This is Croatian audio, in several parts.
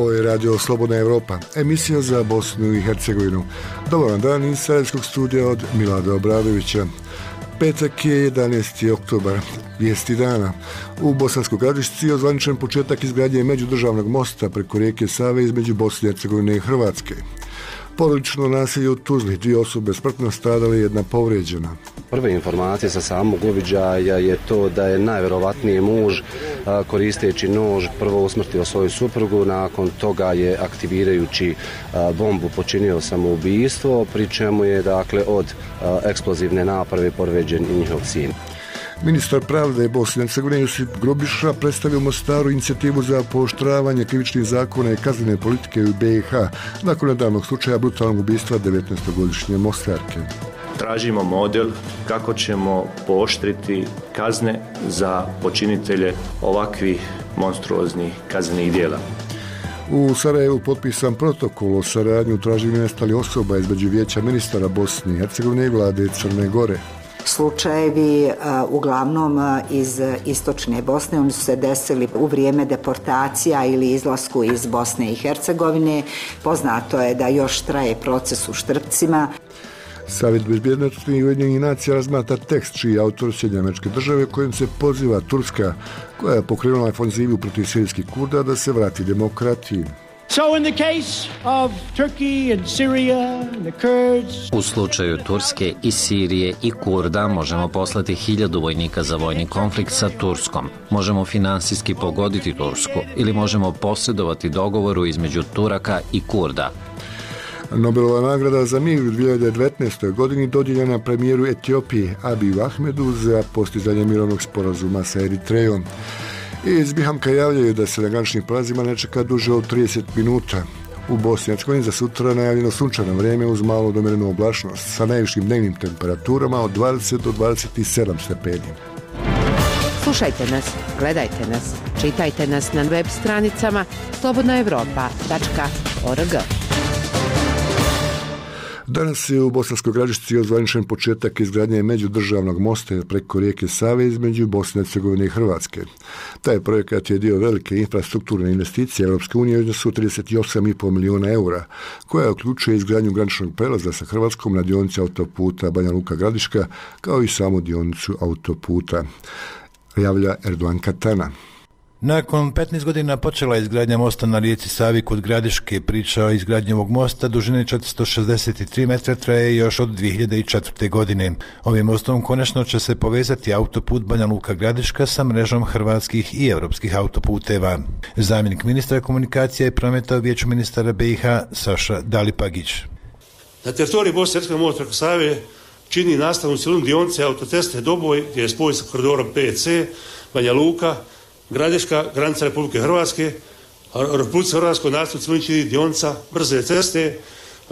Ovo je Radio Slobodna Evropa, emisija za Bosnu i Hercegovinu. Dobar vam dan iz Sarajevskog studija od Milada Obradovića. Petak je 11. oktobar, vijesti dana. U Bosanskoj Gradišci je ozvaničen početak izgradnje međudržavnog mosta preko rijeke Save između Bosne i Hercegovine i Hrvatske. Porodično nasilje u Tuzli, 2 osobe smrtno stradale, 1 povrijeđena. Prve informacije sa samog uviđaja je to da je najvjerovatnije muž koristeći nož prvo usmrtio svoju suprugu, nakon toga je aktivirajući bombu počinio samoubistvo, pri čemu je od eksplozivne naprave povrijeđen i njihov sin. Ministar pravde Bosne i Hercegovine Josip Grubiša predstavio u Mostaru inicijativu za pooštravanje krivičnih zakona i kaznene politike u BiH nakon nedavnog slučaja brutalnog ubistva 19-godišnje Mostarke. Tražimo model kako ćemo pooštriti kazne za počinitelje ovakvih monstruoznih kaznenih djela. U Sarajevu potpisan protokol o saradnji u traženju nestalih osoba između Vijeća ministara Bosne i Hercegovine i vlade Crne Gore. Slučajevi uglavnom iz istočne Bosne, oni su se desili u vrijeme deportacija ili izlasku iz Bosne i Hercegovine. Poznato je da još traje proces u Štrpcima. Savjet bezbjednosti Ujedinjenih nacija razmatra tekst čiji je autor Sjedinjene Američke Države kojim se poziva Turska, koja je pokrenula ofanzivu protiv sirijskih Kurda, da se vrati demokratiji. U slučaju Turske i Sirije i Kurda možemo poslati 1000 vojnika za vojni konflikt sa Turskom. Možemo finansijski pogoditi Tursku ili možemo posredovati dogovoru između Turaka i Kurda. Nobelova nagrada za mir u 2019. godini dodijeljena premijeru Etiopije Abiju Ahmedu za postizanje mirovnog sporazuma sa Eritrejom. Iz Bihamka javljaju da se na graničnim prelazima ne čeka duže od 30 minuta. U Bosni i Hercegovini za sutra najavljeno sunčano vrijeme uz malo domjerenu oblačnost sa najvišim dnevnim temperaturama od 20 do 27 stepeni. Slušajte nas, gledajte nas, čitajte nas na web stranicama slobodnaevropa.org. Danas je u Bosanskoj Gradišci ozvaničen početak izgradnje međudržavnog mosta preko rijeke Save između Bosne i Hercegovine i Hrvatske. Taj projekat je dio velike infrastrukturne investicije Europske unije u iznosu 38,5 milijuna eura, koja uključuje izgradnju graničnog prelaza sa Hrvatskom na dionici autoputa Banja Luka Gradiška, kao i samu dionicu autoputa, javlja Erdogan Katana. Nakon 15 godina počela je izgradnja mosta na rijeci Savi kod Gradiške. Priča o izgradnji ovog mosta dužine 463 metra traje još od 2004. godine. Ovim mostom konačno će se povezati autoput Banja Luka Gradiška sa mrežom hrvatskih i europskih autoputeva. Zamjenik ministra komunikacije i prometa u Vijeću ministara BiH Saša Dalipagić. Na teritoriji Bosne i Hercegovine most preko Save čini nastavnu cjelinu dionice autoceste Doboj gdje je spoj sa koridorom 5C, Banja Luka, Gradiška, granica Republike Hrvatske, a Republike Hrvatskoj nastavnu cjelinu čini dionica brze ceste,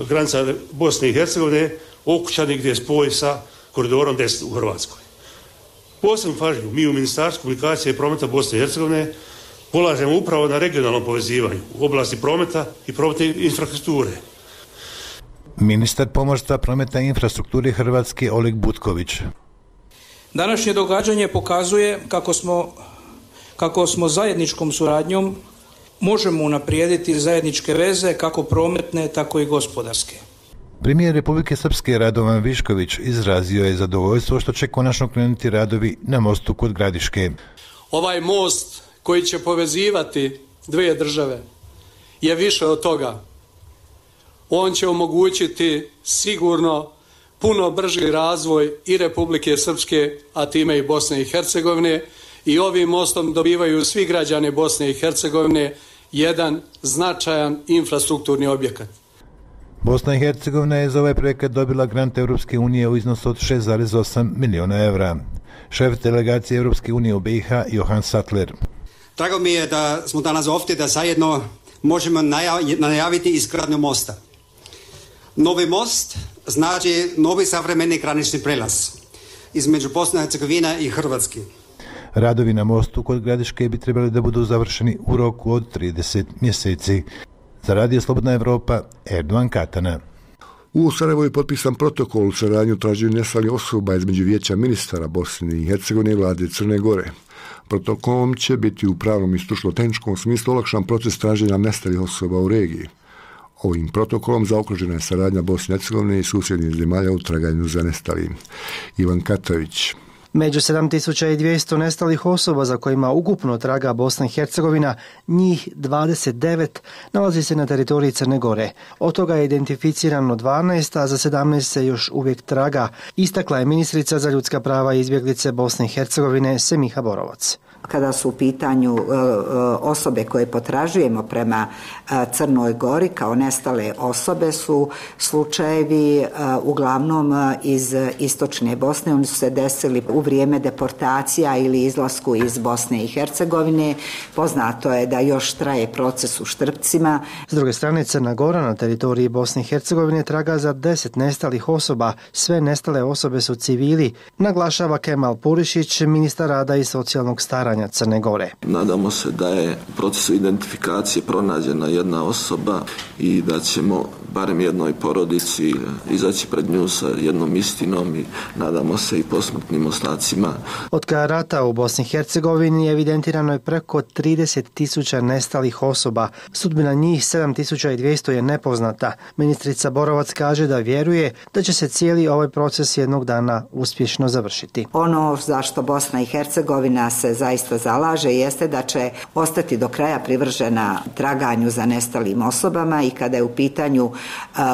granica Bosne i Hercegovine, Okučani gdje je spoj sa koridorom 10 u Hrvatskoj. Posebnu pažnju mi u Ministarstvu komunikacije i prometa Bosne i Hercegovine polažemo upravo na regionalnom povezivanju u oblasti prometa i prometne infrastrukture. Ministar pomorstva, prometa i infrastrukture Hrvatske Oleg Butković. Današnje događanje pokazuje kako smo zajedničkom suradnjom možemo unaprijediti zajedničke veze kako prometne, tako i gospodarske. Premijer Republike Srpske Radovan Višković izrazio je zadovoljstvo što će konačno krenuti radovi na mostu kod Gradiške. Ovaj most koji će povezivati dvije države je više od toga. On će omogućiti sigurno puno brži razvoj i Republike Srpske, a time i Bosne i Hercegovine, i ovim mostom dobivaju svi građani Bosne i Hercegovine jedan značajan infrastrukturni objekat. Bosna i Hercegovina je za ovaj projekat dobila grant Europske unije u iznosu od 6,8 milijuna evra. Šef delegacije Europske unije u BiH Johan Sattler. Drago mi je da smo danas ovdje da zajedno možemo najaviti izgradnju mosta. Novi most znači novi savremeni granični prelaz između Bosne i Hercegovine i Hrvatske. Radovi na mostu kod Gradiške bi trebali da budu završeni u roku od 30 mjeseci. Za Radio Slobodna Evropa, Erdogan Katana. U Sarajevu je potpisan protokol o saradnji u traženju nestalih osoba između Vijeća ministara Bosne i Hercegovine i vlade Crne Gore. Protokolom će biti u pravnom i stručno-tehničkom smislu olakšan proces traženja nestalih osoba u regiji. Ovim protokolom zaokružena je saradnja Bosne i Hercegovine i susjednih zemalja u traganju za nestalim. Ivan Katavić. Među 7200 nestalih osoba za kojima ukupno traga Bosna i Hercegovina, njih 29 nalazi se na teritoriji Crne Gore. Od toga je identificirano 12, a za 17 se još uvijek traga, istakla je ministrica za ljudska prava i izbjeglice Bosne i Hercegovine Semiha Borovac. Kada su u pitanju osobe koje potražujemo prema Crnoj Gori kao nestale osobe su slučajevi uglavnom iz istočne Bosne. Oni su se desili u vrijeme deportacija ili izlasku iz Bosne i Hercegovine. Poznato je da još traje proces u Štrpcima. S druge strane, Crna Gora na teritoriji Bosne i Hercegovine traga za 10 nestalih osoba. Sve nestale osobe su civili, naglašava Kemal Purišić, ministar rada i socijalnog staranja Crne Gore. Nadamo se da je u procesu identifikacije pronađena jedna osoba i da ćemo barem jednoj porodici izaći pred nju sa jednom istinom i nadamo se i posmrtnim ostacima. Od kraja rata u Bosni i Hercegovini evidentirano je preko 30.000 nestalih osoba. Sudbina njih 7.200 je nepoznata. Ministrica Borovac kaže da vjeruje da će se cijeli ovaj proces jednog dana uspješno završiti. Ono zašto Bosna i Hercegovina se zaista zalaže jeste da će ostati do kraja privržena traganju za nestalim osobama i kada je u pitanju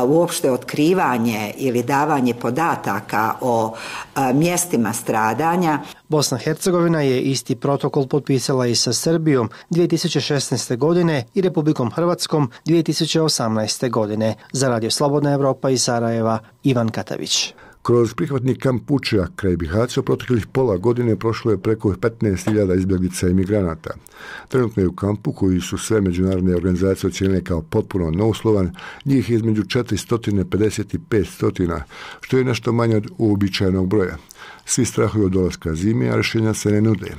uopšte otkrivanje ili davanje podataka o mjestima stradanja. Bosna i Hercegovina je isti protokol potpisala i sa Srbijom 2016. godine i Republikom Hrvatskom 2018. godine. Za Radio Slobodna Evropa iz Sarajeva, Ivan Katavić. Kroz prihvatni kamp Vučjak kraj Bihaća proteklih pola godine prošlo je preko 15.000 izbjeglica i migranata. Trenutno je u kampu, koji su sve međunarodne organizacije ocijenile kao potpuno neuslovan, njih između 450 i 500, što je nešto manje od uobičajenog broja. Svi strahuju od dolaska zime, a rješenja se ne nude,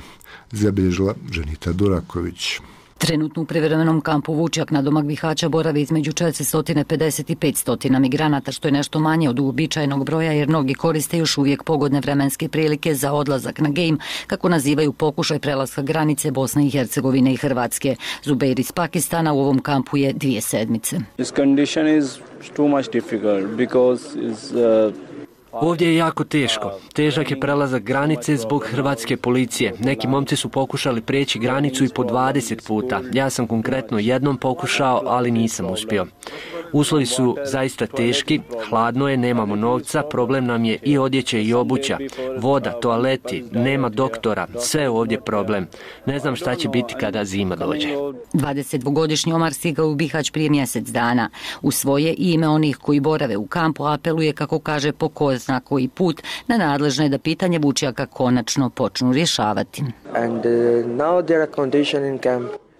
zabilježila Ženita Duraković. Trenutno u privremenom kampu Vučjak na domak Bihaća boravi između 450 i 500 migranata, što je nešto manje od uobičajenog broja jer mnogi koriste još uvijek pogodne vremenske prilike za odlazak na Gejm, kako nazivaju pokušaj prelaska granice Bosne i Hercegovine i Hrvatske. Zubeir iz Pakistana u ovom kampu je 2 sedmice. Ovdje je jako teško. Težak je prelazak granice zbog hrvatske policije. Neki momci su pokušali prijeći granicu i po 20 puta. Ja sam konkretno jednom pokušao, ali nisam uspio. Uslovi su zaista teški, hladno je, nemamo novca, problem nam je i odjeća i obuća, voda, toaleti, nema doktora, sve je ovdje problem. Ne znam šta će biti kada zima dođe. 22-godišnji Omar stigao u Bihać prije mjesec dana. U svoje ime onih koji borave u kampu apeluje, kako kaže, po ko zna koji put na nadležne da pitanje Vučjaka konačno počnu rješavati.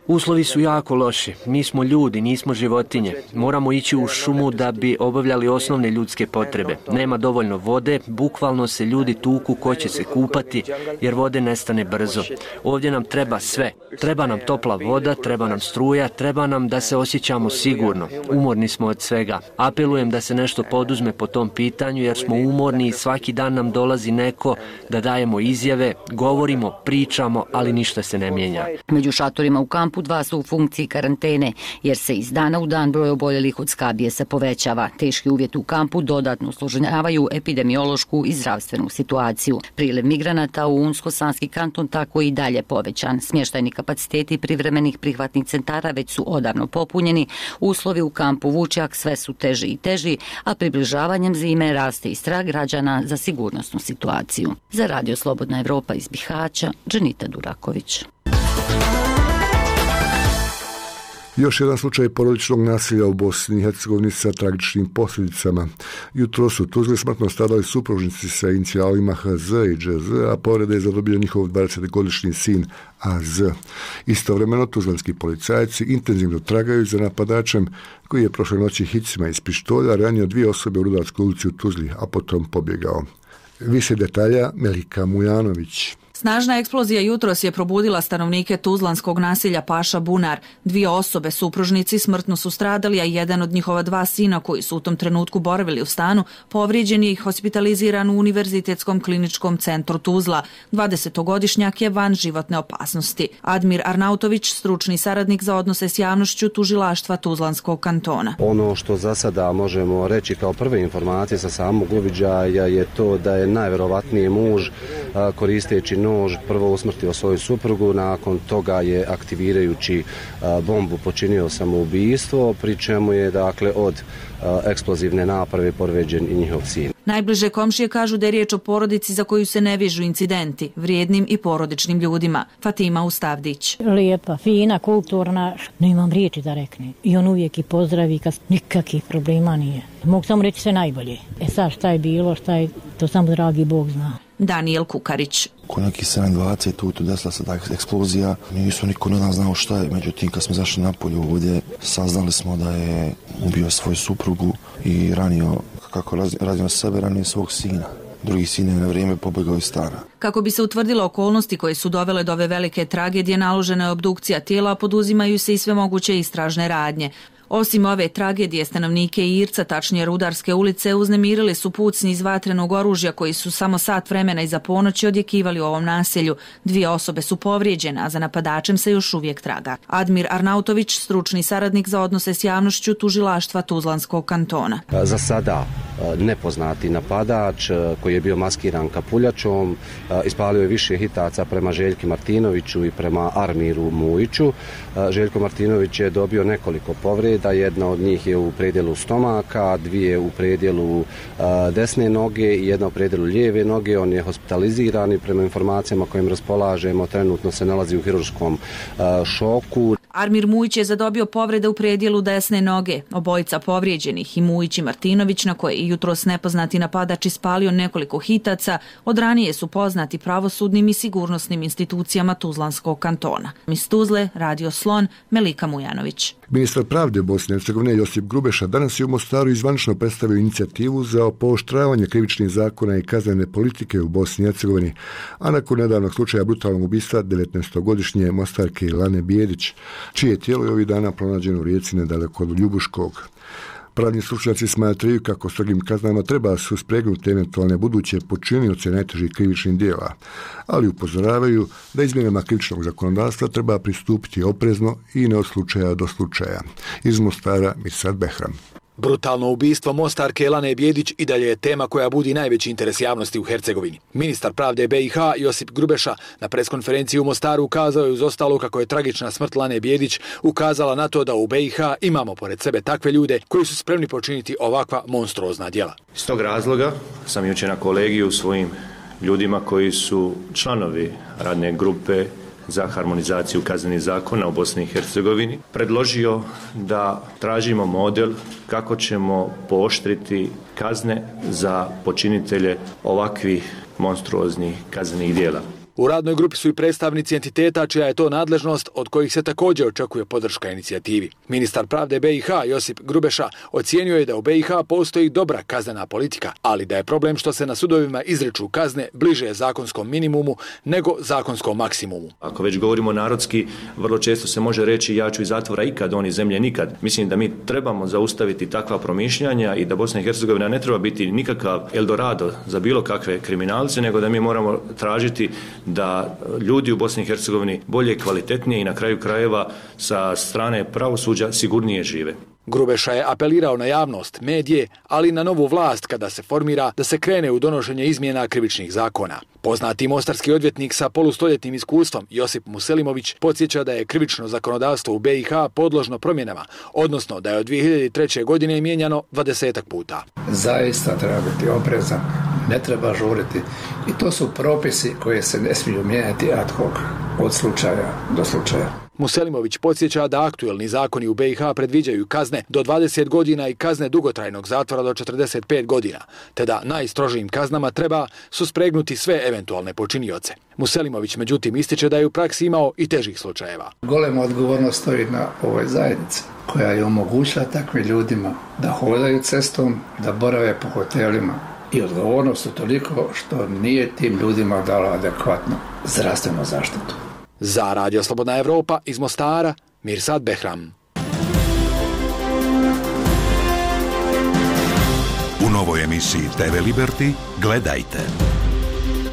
Uslovi su jako loši. Mi smo ljudi, nismo životinje. Moramo ići u šumu da bi obavljali osnovne ljudske potrebe. Nema dovoljno vode, bukvalno se ljudi tuku ko će se kupati jer vode nestane brzo. Ovdje nam treba sve. Treba nam topla voda, treba nam struja, treba nam da se osjećamo sigurno. Umorni smo od svega. Apelujem da se nešto poduzme po tom pitanju jer smo umorni i svaki dan nam dolazi neko da dajemo izjave, govorimo, pričamo, ali ništa se ne mijenja. Među šatorima u kampu 2 su u funkciji karantene, jer se iz dana u dan broj oboljelih od skabije se povećava. Teški uvjeti u kampu dodatno usložnjavaju epidemiološku i zdravstvenu situaciju. Priliv migranata u Unsko-Sanski kanton tako i dalje povećan. Smještajni kapaciteti privremenih prihvatnih centara već su odavno popunjeni. Uslovi u kampu Vučjak sve su teži i teži, a približavanjem zime raste i strah građana za sigurnosnu situaciju. Za Radio Slobodna Evropa iz Bihaća, Ženita Duraković. Još jedan slučaj porodičnog nasilja u Bosni i Hercegovini sa tragičnim posljedicama. Jutro su u Tuzli smrtno stradali supružnici sa inicijalima HZ i ŽZ, a povrede je zadobio njihov 20-godišnji sin AZ. Istovremeno tuzlanski policajci intenzivno tragaju za napadačem koji je prošle noći hicima iz pištolja ranio 2 osobe u Rudarskoj ulici u Tuzli, a potom pobjegao. Više detalja Melika Mujanović. Snažna eksplozija jutros je probudila stanovnike tuzlanskog naselja Paša Bunar. 2 osobe, supružnici, smrtno su stradali, a jedan od njihova 2 sina koji su u tom trenutku boravili u stanu, povrijeđen je i hospitaliziran u Univerzitetskom kliničkom centru Tuzla. 20-godišnjak je van životne opasnosti. Admir Arnautović, stručni saradnik za odnose s javnošću tužilaštva Tuzlanskog kantona. Ono što za sada možemo reći kao prve informacije sa samog uviđaja je to da je najverovatniji muž koristeći nož prvo usmrtio svoju suprugu, nakon toga je aktivirajući bombu počinio samoubistvo, pri čemu je dakle od eksplozivne naprave povrijeđen i njihov sin. Najbliže komšije kažu da je riječ o porodici za koju se ne vežu incidenti, vrijednim i porodičnim ljudima. Fatima Ustavdić. Lijepa, fina, kulturna, nemam riječi da rekne. I on uvijek i pozdravi kad nikakvih problema nije. Mogu samo reći sve najbolje. Sad šta je bilo, to samo dragi Bog zna. Daniel Kukarić. Oko nekih 7:20 tu desila se ta eksplozija. Nisu niko od nas znao šta je. Međutim, kad smo zašli napolju ovdje, saznali smo da je ubio svoju suprugu i ranio, kako ranio sebe, ranio svog sina. Drugi sin je na vrijeme pobjegao iz stana. Kako bi se utvrdilo okolnosti koje su dovele do ove velike tragedije, naložena je obdukcija tijela, poduzimaju se i sve moguće istražne radnje. Osim ove tragedije, stanovnike Irca, tačnije Rudarske ulice, uznemirili su pucnji iz vatrenog oružja koji su samo sat vremena iza ponoći odjekivali u ovom naselju. 2 osobe su povrijeđene, a za napadačem se još uvijek traga. Admir Arnautović, stručni saradnik za odnose s javnošću tužilaštva Tuzlanskog kantona. Za sada nepoznati napadač koji je bio maskiran kapuljačom ispalio je više hitaca prema Željki Martinoviću i prema Armiru Mujiću. Željko Martinović je dobio nekoliko povreda, jedna od njih je u predjelu stomaka, 2 u predjelu desne noge i 1 u predjelu lijeve noge. On je hospitaliziran i prema informacijama kojim raspolažemo trenutno se nalazi u hirurškom šoku. Armir Mujić je zadobio povrede u predjelu desne noge. Obojica povrijeđenih, i Mujić i Martinović, na koje je jutros nepoznati napadač ispalio nekoliko hitaca, od ranije su poznati pravosudnim i sigurnosnim institucijama Tuzlanskog kantona. Iz Tuzle, Radio Slon, Melika Mujanović. Ministar pravde Bosne i Hercegovine Josip Grubeša danas je u Mostaru zvanično predstavio inicijativu za pooštravanje krivičnih zakona i kaznene politike u Bosni i Hercegovini, a nakon nedavnog slučaja brutalnog ubistva 19-godišnje Mostarke Lane Bijedić, čije tijelo je ovih dana pronađeno u rijeci nedaleko od Ljubuškog. Pravni stručnjaci smatraju kako strogim kaznama treba suspregnuti eventualne buduće počinioce najtežih krivičnih djela, ali upozoravaju da izmjenama krivičnog zakonodavstva treba pristupiti oprezno i ne od slučaja do slučaja. Iz Mostara Mirsad Behram. Brutalno ubistvo Mostarke Lane Bijedić i dalje je tema koja budi najveći interes javnosti u Hercegovini. Ministar pravde BiH Josip Grubeša na preskonferenciji u Mostaru ukazao je uz ostalo kako je tragična smrt Lane Bijedić ukazala na to da u BiH imamo pored sebe takve ljude koji su spremni počiniti ovakva monstruozna djela. Iz tog razloga sam jučer na kolegiju svojim ljudima koji su članovi radne grupe za harmonizaciju kaznenih zakona u Bosni i Hercegovini predložio da tražimo model kako ćemo pooštriti kazne za počinitelje ovakvih monstruoznih kaznenih djela. U radnoj grupi su i predstavnici entiteta čija je to nadležnost, od kojih se također očekuje podrška inicijativi. Ministar pravde BiH Josip Grubeša ocijenio je da u BiH postoji dobra kaznena politika, ali da je problem što se na sudovima izriču kazne bliže zakonskom minimumu nego zakonskom maksimumu. Ako već govorimo narodski, vrlo često se može reći ja ću iz zatvora ikad, oni zemlje nikad. Mislim da mi trebamo zaustaviti takva promišljanja i da Bosna i Hercegovina ne treba biti nikakav Eldorado za bilo kakve kriminalce, nego da mi moramo tražiti da ljudi u Bosni i Hercegovini bolje, kvalitetnije i na kraju krajeva sa strane pravosuđa sigurnije žive. Grubeša je apelirao na javnost, medije, ali i na novu vlast kada se formira da se krene u donošenje izmjena krivičnih zakona. Poznati mostarski odvjetnik sa polustoljetnim iskustvom Josip Muselimović podsjeća da je krivično zakonodavstvo u BiH podložno promjenama, odnosno da je od 2003. godine mijenjano 20 puta. Zaista treba biti oprezan, ne treba žuriti i to su propisi koje se ne smiju mijenjati ad hoc od slučaja do slučaja. Muselimović podsjeća da aktuelni zakoni u BiH predviđaju kazne do 20 godina i kazne dugotrajnog zatvora do 45 godina, te da najstrožijim kaznama treba suspregnuti sve eventualne počinioce. Muselimović međutim ističe da je u praksi imao i težih slučajeva. Golema odgovornost stoji na ovoj zajednici koja je omogućila takvim ljudima da hodaju cestom, da borave po hotelima, i odgovornost su toliko što nije tim ljudima dala adekvatnu zdravstvenu zaštitu. Za Radio Slobodna Evropa iz Mostara, Mirsad Behram. U novoj emisiji TV Liberty gledajte.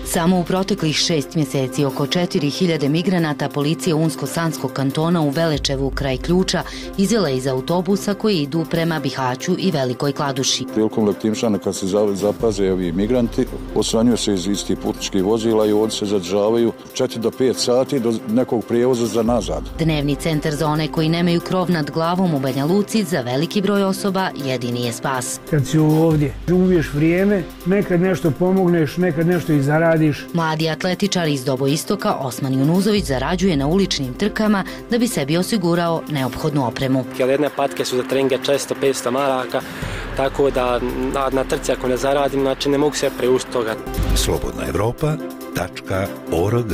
Samo u proteklih 6 mjeseci oko 4000 migranata policija Unsko-Sanskog kantona u Velečevu kraj Ključa izvela iz autobusa koji idu prema Bihaću i Velikoj Kladuši. Prilikom letimšana kad se zapaze ovi migranti, osvanjuju se iz istih putničkih vozila i ovdje se zadržavaju 4 do 5 sati do nekog prijevoza za nazad. Dnevni centar za one koji nemaju krov nad glavom u Banja Luci za veliki broj osoba jedini je spas. Kad si ovdje, ubiješ vrijeme, nekad nešto pomogneš, nekad nešto i zaradiš. Mladi atletičar iz Doboistoka Osman Junuzović zarađuje na uličnim trkama da bi sebi osigurao neophodnu opremu. Jedne patke su za treninge često 500 maraka, tako da na trci ako ne zaradim, znači ne mogu se priuštiti toga. slobodnaevropa.org.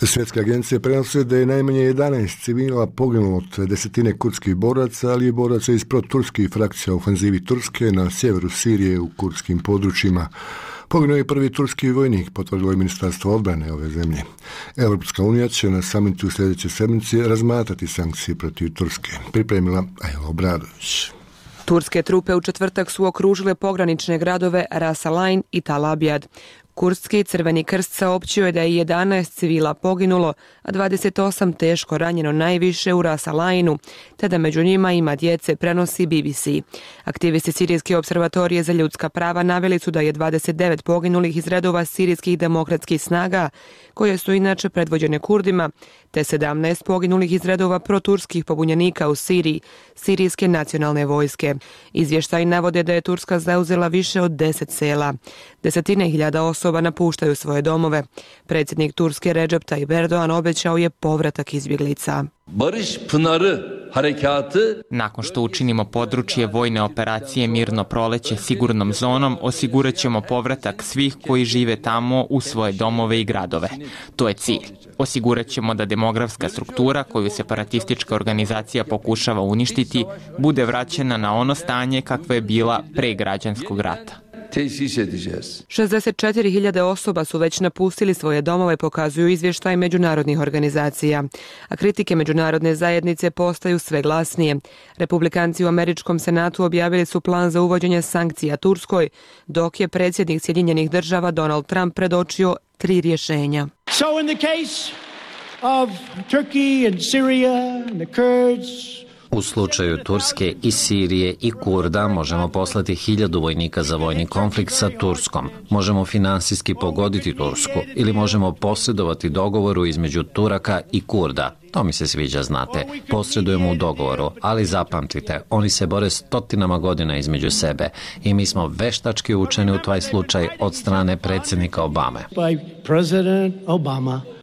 Svjetska agencija prenosi da je najmanje 11 civila poginulo od desetine kurdskih boraca, ali i boraca iz proturskih frakcija u ofenzivi Turske na sjeveru Sirije u kurdskim područjima. Poginuo je prvi turski vojnik, potvrdilo je Ministarstvo odbrane ove zemlje. Europska unija će na samitu u sljedećoj sedmici razmatrati sankcije protiv Turske. Pripremila Ajla Obradović. Turske trupe u četvrtak su okružile pogranične gradove Ras Al Ain i Tal Abjad. Kurdski Crveni krst saopćio je da je 11 civila poginulo, a 28 teško ranjeno najviše u Ras Al Ainu, te da među njima ima djece, prenosi BBC. Aktivisti Sirijske observatorije za ljudska prava naveli su da je 29 poginulih iz redova sirijskih demokratskih snaga, koje su inače predvođene Kurdima, te 17 poginulih iz redova proturskih pobunjenika u Siriji, Sirijske nacionalne vojske. Izvještaji navode da je Turska zauzela više od 10 sela. Desetine hiljada osoba napuštaju svoje domove. Predsjednik Turske Recep Tayyip Erdogan obećao je povratak izbjeglica. Barış Pınarı harekatı. Nakon što učinimo područje vojne operacije Mirno proleće sigurnom zonom, osigurat ćemo povratak svih koji žive tamo u svoje domove i gradove. To je cilj. Osigurat ćemo da demografska struktura koju separatistička organizacija pokušava uništiti bude vraćena na ono stanje kakvo je bila pre građanskog rata. 64.000 osoba su već napustili svoje domove, pokazuju izvještaj međunarodnih organizacija. A kritike međunarodne zajednice postaju sve glasnije. Republikanci u Američkom senatu objavili su plan za uvođenje sankcija Turskoj, dok je predsjednik Sjedinjenih država Donald Trump predočio 3 rješenja. So in the case of Turkey and Syria and the Kurds, u slučaju Turske i Sirije i Kurda možemo poslati 1000 vojnika za vojni konflikt sa Turskom. Možemo finansijski pogoditi Tursku ili možemo posredovati dogovoru između Turaka i Kurda. To mi se sviđa, znate. Posredujemo u dogovoru, ali zapamtite, oni se bore stotinama godina između sebe i mi smo veštački učeni u taj slučaj od strane predsjednika Obame.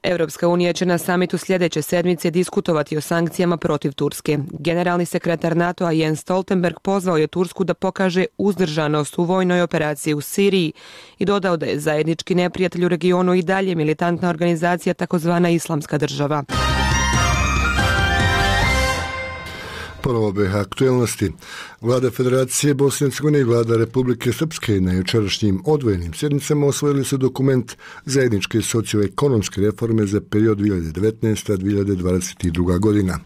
Europska unija će na samitu sljedeće sedmice diskutovati o sankcijama protiv Turske. Generalni sekretar NATO-a Jens Stoltenberg pozvao je Tursku da pokaže uzdržanost u vojnoj operaciji u Siriji i dodao da je zajednički neprijatelj u regionu i dalje militantna organizacija takozvana Islamska država. Ponovo BiH aktuelnosti. Vlada Federacije Bosne i Hercegovine i Vlada Republike Srpske na jučerašnjim odvojenim sjednicama osvojili su dokument zajedničke socioekonomske reforme za period 2019-2022 godina.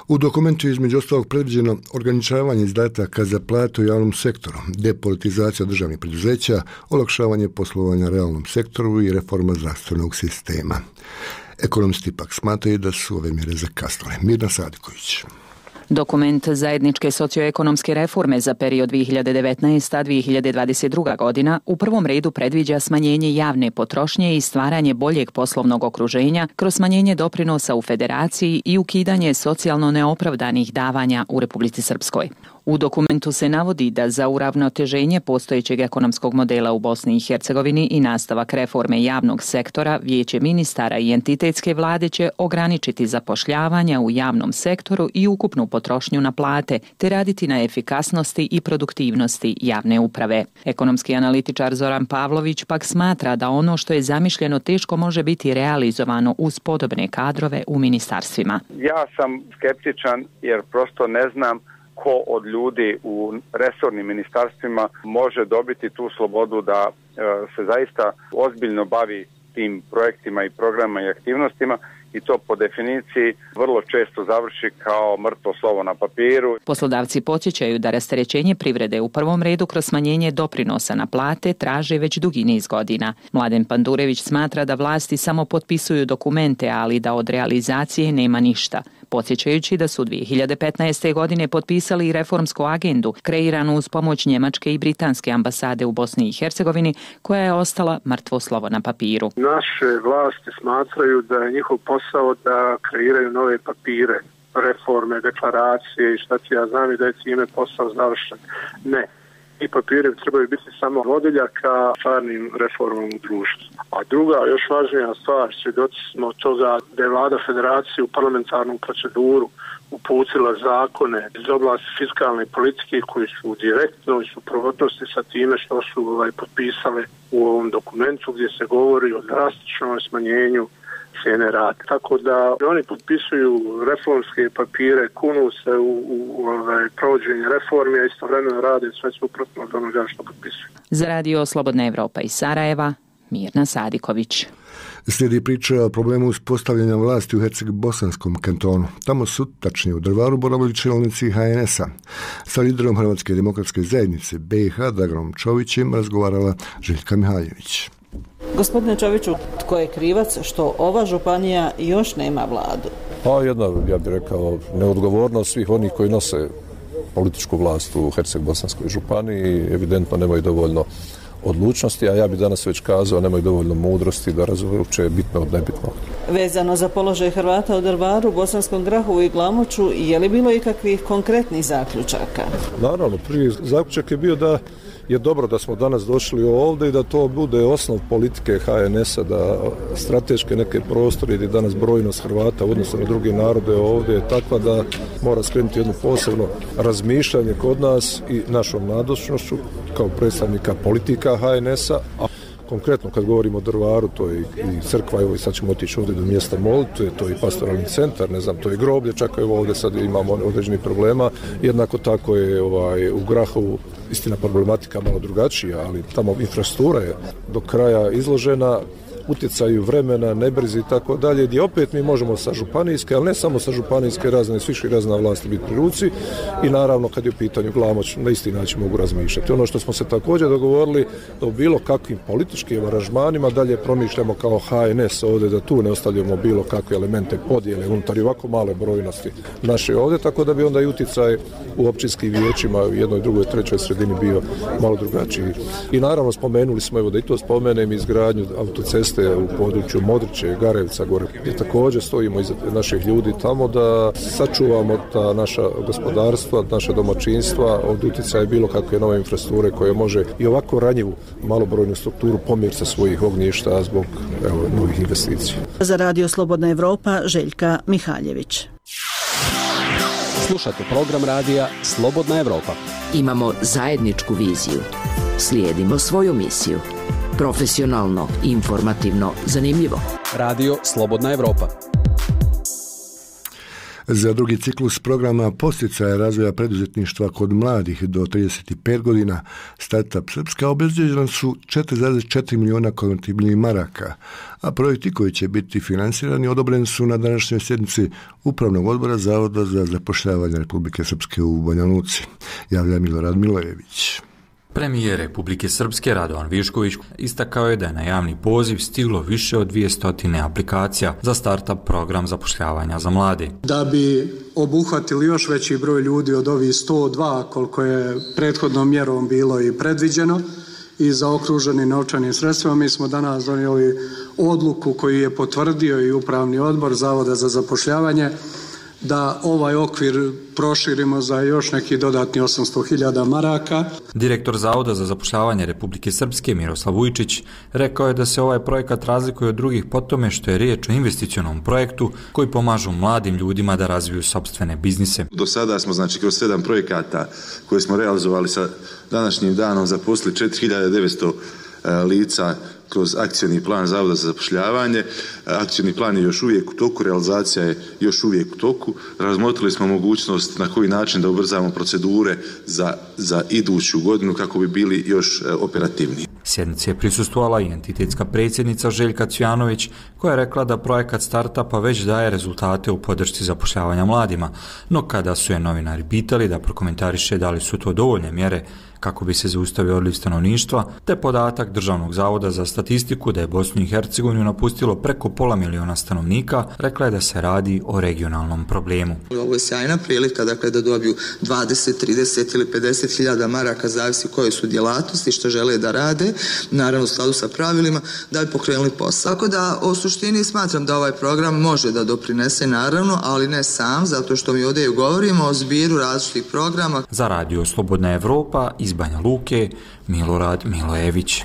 U dokumentu je između ostalog predviđeno ograničavanje izdataka za plate u javnom sektoru, depolitizacija državnih preduzeća, olakšavanje poslovanja realnom sektoru i reforma zdravstvenog sistema. Ekonomisti pak smatraju da su ove mjere zakasnile. Mirna Sadiković. Dokument zajedničke socioekonomske reforme za period 2019-2022 godina u prvom redu predviđa smanjenje javne potrošnje i stvaranje boljeg poslovnog okruženja kroz smanjenje doprinosa u federaciji i ukidanje socijalno neopravdanih davanja u Republici Srpskoj. U dokumentu se navodi da za uravnoteženje postojećeg ekonomskog modela u Bosni i Hercegovini i nastavak reforme javnog sektora, Vijeće ministara i entitetske vlade će ograničiti zapošljavanja u javnom sektoru i ukupnu potrošnju na plate, te raditi na efikasnosti i produktivnosti javne uprave. Ekonomski analitičar Zoran Pavlović pak smatra da ono što je zamišljeno teško može biti realizovano uz podobne kadrove u ministarstvima. Ja sam skeptičan jer prosto ne znam ko od ljudi u resornim ministarstvima može dobiti tu slobodu da se zaista ozbiljno bavi tim projektima i programima i aktivnostima i to po definiciji vrlo često završi kao mrtvo slovo na papiru. Poslodavci podsjećaju da rasterećenje privrede u prvom redu kroz smanjenje doprinosa na plate traže već dugi niz godina. Mladen Pandurević smatra da vlasti samo potpisuju dokumente, ali da od realizacije nema ništa. Podsjećajući da su 2015. godine potpisali i reformsku agendu kreiranu uz pomoć Njemačke i Britanske ambasade u Bosni i Hercegovini, koja je ostala mrtvo slovo na papiru. Naše vlasti smatraju da je njihov posao da kreiraju nove papire, reforme, deklaracije i šta ti ja znam i da je time posao završen. Ne. I papiri trebaju biti samo vodilja ka stvarnim reformom u društvu. A druga, još važnija stvar, svjedoci smo toga da je vlada federacije u parlamentarnu proceduru uputila zakone iz oblasti fiskalne politike koji su direktno i suprotnosti sa time što su potpisale u ovom dokumentu gdje se govori o drastičnom smanjenju cijene rada. Tako da oni potpisuju reformske papire, kunu se u provođenje reformi, a istovremeno rade sve suprotno od onoga što potpisuju. Za radio Slobodna Evropa iz Sarajeva, Mirna Sadiković. Slijedi priča o problemu uspostavljanja vlasti u Herceg-Bosanskom kantonu. Tamo su, tačnije u Drvaru, boravili čelnici HNS-a. Sa liderom Hrvatske demokratske zajednice BiH Draganom Čovićem razgovarala Željka Mihaljević. Gospodine Čoviću, tko je krivac što ova županija još nema vladu? Jedna, ja bih rekao, neodgovornost svih onih koji nose političku vlast u Herceg-Bosanskoj županiji, evidentno nemaju dovoljno odlučnosti, a ja bih danas već kazao nemaju dovoljno mudrosti da razumiju uopće bitno od nebitnog. Vezano za položaj Hrvata u Drvaru, Bosanskom Grahovu i Glamoču, je li bilo ikakvih konkretnih zaključaka? Naravno, prvi zaključak je bio da je dobro da smo danas došli ovdje i da to bude osnov politike HNS-a, da strateške neke prostore gdje danas brojnost Hrvata u odnosu na druge narode ovdje je takva da mora skrenuti jedno posebno razmišljanje kod nas i našom nazočnošću kao predstavnika politika HNS-a. A konkretno kad govorimo o Drvaru, to je i crkva, evo i sad ćemo otići ovdje do mjesta molitve, to je i pastoralni centar, ne znam, to je groblje, čak evo ovdje sad imamo određenih problema. Jednako tako je u Grahovu, istina problematika malo drugačija, ali tamo infrastruktura je do kraja izložena utjecaju vremena, nebrzi i tako dalje, gdje opet mi možemo sa županijske, ali ne samo sa županijske razine, s viših razina vlasti biti pri ruci i naravno kad je u pitanju Glamoč, na isti način mogu razmišljati. Ono što smo se također dogovorili da u bilo kakvim političkim aranžmanima dalje promišljamo kao HNS ovdje, da tu ne ostavljamo bilo kakve elemente podjele unutar i ovako male brojnosti naše ovdje, tako da bi onda i utjecaj u općinskim vijećima u jednoj, drugoj, trećoj sredini bio malo drugačiji. I naravno spomenuli smo, evo da i to spomenem, izgradnju autoceste u području Modriće, Garevca, gore, gdje također stojimo iza naših ljudi tamo da sačuvamo ta naša gospodarstva, naša domaćinstva od utjecaja bilo kakve nove infrastrukture koje može i ovako ranjivu malobrojnu strukturu pomjeriti sa svojih ognjišta zbog novih investicija. Za radio Slobodna Evropa, Željka Mihaljević. Slušate program radija Slobodna Evropa. Imamo zajedničku viziju. Slijedimo svoju misiju. Profesionalno, informativno, zanimljivo. Radio Slobodna Evropa. Za drugi ciklus programa posticaja razvoja preduzetništva kod mladih do 35 godina Startup Srpska obezbeđena su 4,4 milijuna konvertibilnih maraka, a projekti koji će biti finansirani odobreni su na današnjoj sjednici Upravnog odbora Zavoda za zapošljavanje Republike Srpske u Banja Luci. Javlja Milorad Milojević. Premijer Republike Srpske Radovan Višković istakao je da je na javni poziv stiglo više od 200 aplikacija za startup program zapošljavanja za mlade. Da bi obuhvatili još veći broj ljudi od ovih 102 koliko je prethodnom mjerom bilo i predviđeno i zaokruženi novčanim sredstvima, mi smo danas donijeli odluku koju je potvrdio i Upravni odbor Zavoda za zapošljavanje da ovaj okvir proširimo za još neki dodatni 800.000 maraka. Direktor Zavoda za zapošljavanje Republike Srpske Miroslav Vujčić rekao je da se ovaj projekat razlikuje od drugih po tome što je riječ o investicionom projektu koji pomažu mladim ljudima da razviju sopstvene biznise. Do sada smo kroz 7 projekata koje smo realizovali sa današnjim danom zaposlili 4.900 lica kroz akcioni plan Zavoda za zapošljavanje. Akcioni plan je još uvijek u toku, realizacija je još uvijek u toku. Razmotrili smo mogućnost na koji način da ubrzamo procedure za iduću godinu kako bi bili još operativniji. Sjednici je prisustvovala i entitetska predsjednica Željka Cvjanović, koja je rekla da projekat startupa već daje rezultate u podršci zapošljavanja mladima, no kada su je novinari pitali da prokomentariše da li su to dovoljne mjere kako bi se zaustavio odliv stanovništva, te podatak Državnog zavoda za statistiku da je Bosnu i Hercegovinu napustilo preko 500 000 stanovnika, rekla je da se radi o regionalnom problemu. Ovo je sjajna prilika, dakle, da dobiju 20, 30 ili 50.000 maraka, zavisi koje su djelatnosti, što žele da rade, naravno u skladu sa pravilima, da bi pokrenuli posao. Tako da, u suštini smatram da ovaj program može da doprinese, naravno, ali ne sam, zato što mi ovdje govorimo o zbiru različitih programa. Za Radio Slobodna Evropa iz Banja Luke, Milorad Milojević.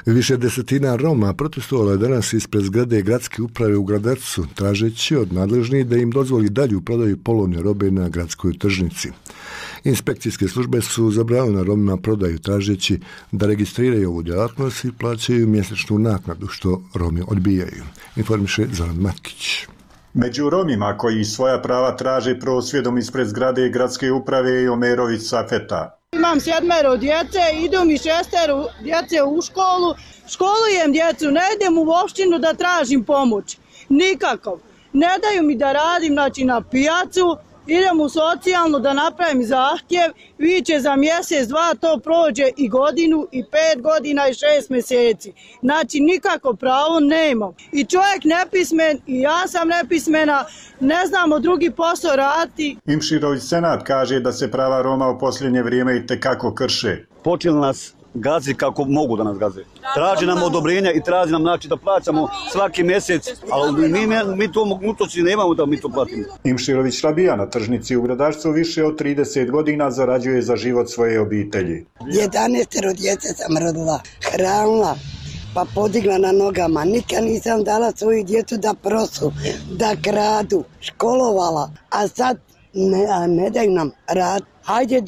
Više desetina Roma protestovalo je danas ispred zgrade gradske uprave u Gradarcu, tražeći od nadležnih da im dozvoli dalju prodaju polovne robe na gradskoj tržnici. Inspekcijske službe su zabranile Romima prodaju, tražeći da registriraju ovu djelatnost i plaćaju mjesečnu naknadu, što Romi odbijaju. Informiše Zoran Matkić. Među Romima koji svoja prava traže prosvjedom ispred zgrade gradske uprave je Omerović Safeta. Imam 7 djece, idu mi 6 djece u školu, školujem djecu, ne idem u opštinu da tražim pomoć, nikakav. Ne daju mi da radim, znači na pijacu, idem u socijalnu da napravim zahtjev, viće za mjesec, 2, to prođe i godinu, i 5 godina, i 6 mjeseci. Znači nikako pravo nemam. I čovjek nepismen, i ja sam nepismena, ne znamo drugi posao raditi. Imširović Senat kaže da se prava Roma u posljednje vrijeme i tekako krše. Počeli nas gazi kako mogu da nas gaze. Traži nam odobrenja i traži nam, znači, da plaćamo svaki mjesec, ali mi to mogućnosti nemamo da mi to platimo. Imširović Rabija na tržnici u Gradašcu više od 30 godina zarađuje za život svoje obitelji. 11 djece sam rodila, hranila, pa podigla na nogama. Nikad nisam dala svoju djecu da prosu, da kradu, školovala, a sad ne daju nam rad. Hajde,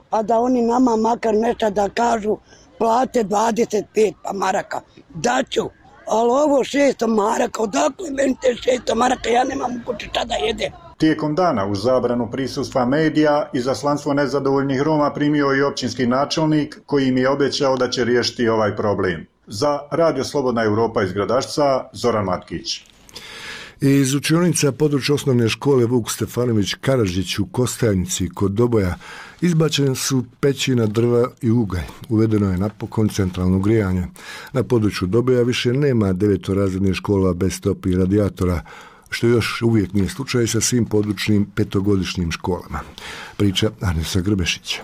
pa da oni nama makar nešto da kažu, plate 25 maraka. Daću, ali ovo 600 maraka, odakle meni te 600 maraka, ja nemam u kući šta da jedem. Tijekom dana uz zabranu prisustva medija izaslanstvo nezadovoljnih Roma primio i općinski načelnik koji im je obećao da će riješiti ovaj problem. Za Radio Slobodna Evropa iz Gradašca, Zoran Matkić. Iz učionica područja osnovne škole Vuk Stefanović Karadžić u Kostajnici kod Doboja izbačene su pećina, drva i ugalj. Uvedeno je napokon centralno grijanje. Na području Doboja više nema 9-razrednih škola bez toplih radijatora, što još uvijek nije slučaj sa svim područnim 5-godišnjim školama. Priča Anesa Grbešića.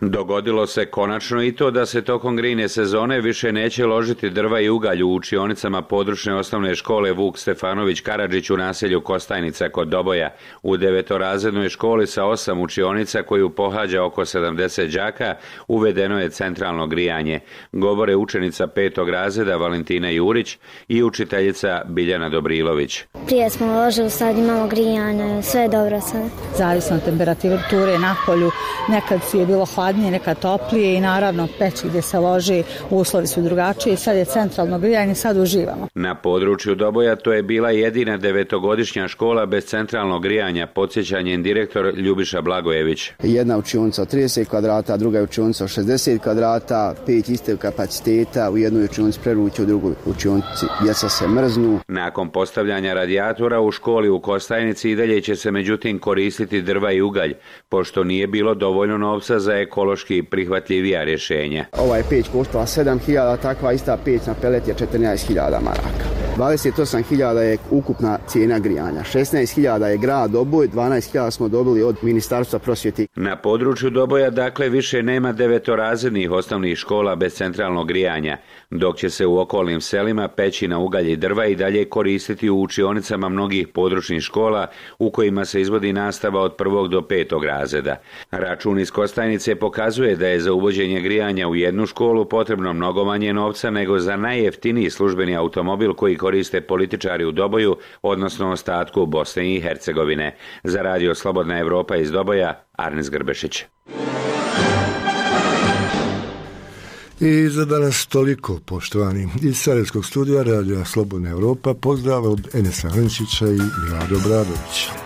Dogodilo se konačno i to da se tokom grijne sezone više neće ložiti drva i ugalj u učionicama područne osnovne škole Vuk Stefanović Karadžić u naselju Kostajnica kod Doboja. U 9-razrednoj školi sa 8 učionica koju pohađa oko 70 đaka uvedeno je centralno grijanje. Govore učenica 5. razreda Valentina Jurić i učiteljica Biljana Dobrilović. Prije smo ložili, sad imamo grijanje, sve je dobro sad. Zavisno temperature na polju, nekad je bilo hladnije, nekad toplije i naravno peći gdje se loži, uslovi su drugačiji, sad je centralno grijanje, sad uživamo. Na području Doboja to je bila jedina 9-godišnja škola bez centralnog grijanja, podsjećanjem direktor Ljubiša Blagojević. Jedna učionica od 30 kvadrata, druga učionica od 60 kvadrata, 5 istog kapaciteta, u jednoj učionici preruće, u drugoj učionici djeca se mrznu. Nakon postavljanja radijatora u školi u Kostajnici i dalje će se međutim koristiti drva i ugalj, pošto nije bilo dovoljno novca za ekološki prihvatljivija rješenja. Ova je peć koštala 7.000, takva ista peć na pelet je 14.000 maraka. 28.000 je ukupna cijena grijanja, 16.000 je grad Doboj, 12.000 smo dobili od Ministarstva prosvjete. Na području Doboja dakle više nema 9-razrednih osnovnih škola bez centralnog grijanja, dok će se u okolnim selima peći na ugalj i drva i dalje koristiti u učionicama mnogih područnih škola u kojima se izvodi nastava od 1. do 5. razreda. Račun iz Kostajnice pokazuje da je za uvođenje grijanja u jednu školu potrebno mnogo manje novca nego za najjeftiniji službeni automobil koji koriste političari u Doboju, odnosno ostatku Bosne i Hercegovine. Za Radio Slobodna Evropa iz Doboja, Arnes Grbešić. I za danas toliko, poštovani. Iz Sarajevskog studija Radija Slobodna Europa pozdrav od Enesa Hrnčića i Milada Obradovića.